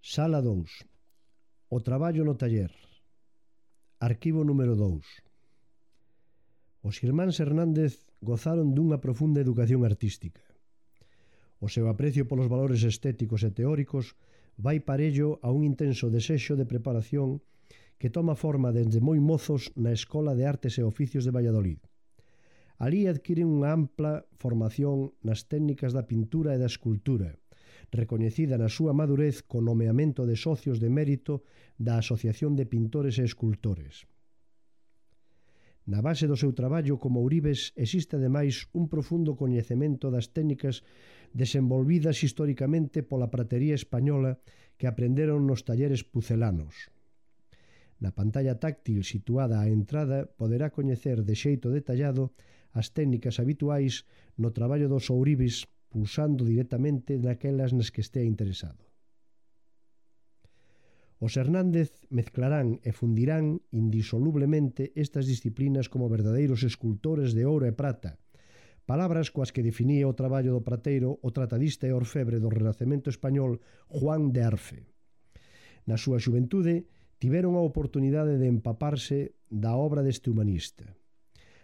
Sala 2. O traballo no taller. Arquivo número 2. Os irmáns Hernández gozaron dunha profunda educación artística. O seu aprecio polos valores estéticos e teóricos vai parello a un intenso desexo de preparación que toma forma desde moi mozos na Escola de Artes e Oficios de Valladolid. Alí adquiren unha ampla formación nas técnicas da pintura e da escultura, recoñecida na súa madurez co nomeamento de socios de mérito da Asociación de Pintores e Escultores. Na base do seu traballo como ouribes existe ademais un profundo coñecemento das técnicas desenvolvidas historicamente pola pratería española que aprenderon nos talleres pucelanos. Na pantalla táctil situada á entrada poderá coñecer de xeito detallado as técnicas habituais no traballo dos ouribes pulsando directamente naquelas nas que estea interesado. Os Hernández mezclarán e fundirán indisolublemente estas disciplinas como verdadeiros escultores de ouro e prata, palabras coas que definía o traballo do prateiro o tratadista e orfebre do Renacemento español Juan de Arfe. Na súa xuventude tiveron a oportunidade de empaparse da obra deste humanista.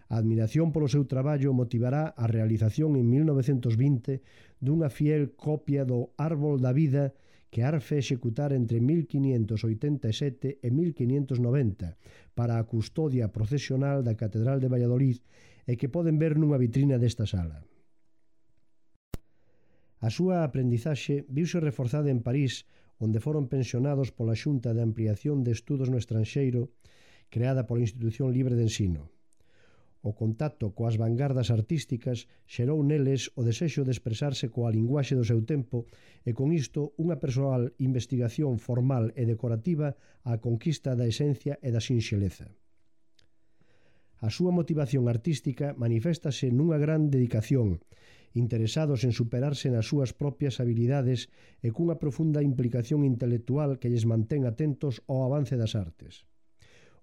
A admiración polo seu traballo motivará a realización en 1920 dunha fiel copia do Árbol da Vida que Arfe executara entre 1587 e 1590 para a custodia procesional da Catedral de Valladolid e que poden ver nunha vitrina desta sala. A súa aprendizaxe viuse reforzada en París, onde foron pensionados pola Xunta de Ampliación de Estudos no Estranxeiro, creada pola Institución Libre de Ensino. O contacto coas vanguardas artísticas xerou neles o desexo de expresarse coa linguaxe do seu tempo e con isto unha persoal investigación formal e decorativa á conquista da esencia e da sinxeleza. A súa motivación artística maniféstase nunha gran dedicación, interesados en superarse nas súas propias habilidades e cunha profunda implicación intelectual que lles mantén atentos ao avance das artes.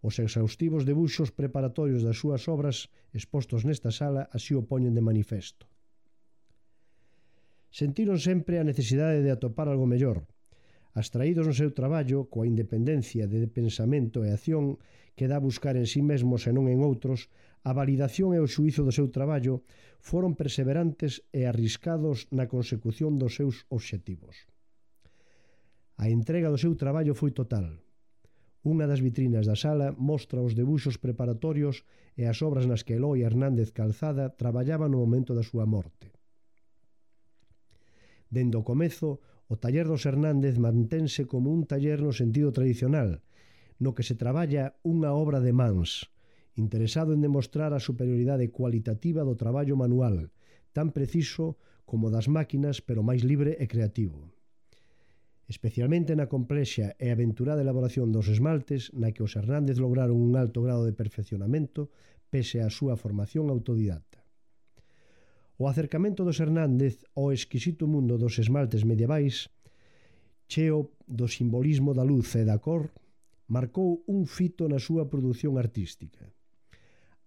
Os exhaustivos debuxos preparatorios das súas obras expostos nesta sala así o poñen de manifesto. Sentiron sempre a necesidade de atopar algo mellor. Abstraídos no seu traballo, coa independencia de pensamento e acción que dá a buscar en sí mesmos e non en outros, a validación e o xuízo do seu traballo foron perseverantes e arriscados na consecución dos seus obxectivos. A entrega do seu traballo foi total. Unha das vitrinas da sala mostra os debuxos preparatorios e as obras nas que Eloi Hernández Calzada traballaba no momento da súa morte. Dende o comezo, o taller dos Hernández mantense como un taller no sentido tradicional, no que se traballa unha obra de mans, interesado en demostrar a superioridade cualitativa do traballo manual, tan preciso como das máquinas, pero máis libre e creativo. Especialmente na complexa e aventurada elaboración dos esmaltes, na que os Hernández lograron un alto grado de perfeccionamento pese á súa formación autodidacta. O acercamento dos Hernández ao exquisito mundo dos esmaltes medievais, cheo do simbolismo da luz e da cor, marcou un fito na súa produción artística.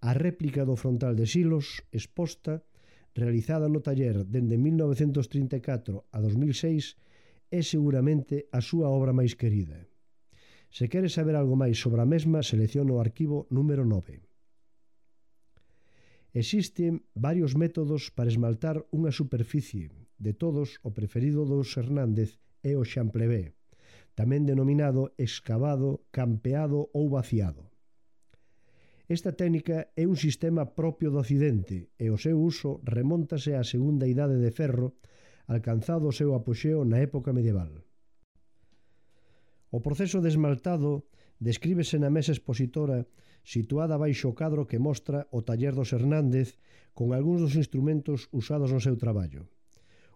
A réplica do frontal de Silos, exposta, realizada no taller dende 1934 a 2006, é seguramente a súa obra máis querida. Se queres saber algo máis sobre a mesma, selecciona o arquivo número 9. Existen varios métodos para esmaltar unha superficie. De todos, o preferido dos Hernández é o xamplevé, tamén denominado excavado, campeado ou vaciado. Esta técnica é un sistema propio do Occidente e o seu uso remóntase á Segunda Idade de Ferro, alcanzado o seu apoxeo na época medieval. O proceso de esmaltado descríbese na mesa expositora situada baixo o cadro que mostra o taller dos Hernández con algúns dos instrumentos usados no seu traballo.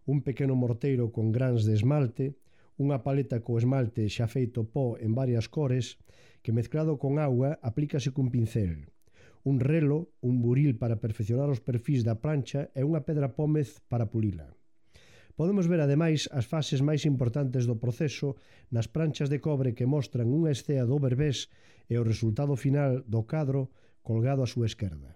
Un pequeno morteiro con grans de esmalte, unha paleta co esmalte xa feito pó en varias cores que mezclado con auga aplícase cun pincel, un relo, un buril para perfeccionar os perfís da plancha e unha pedra pómez para pulila. Podemos ver ademais as fases máis importantes do proceso nas pranchas de cobre que mostran unha escea do Berbés e o resultado final do cadro colgado á súa esquerda.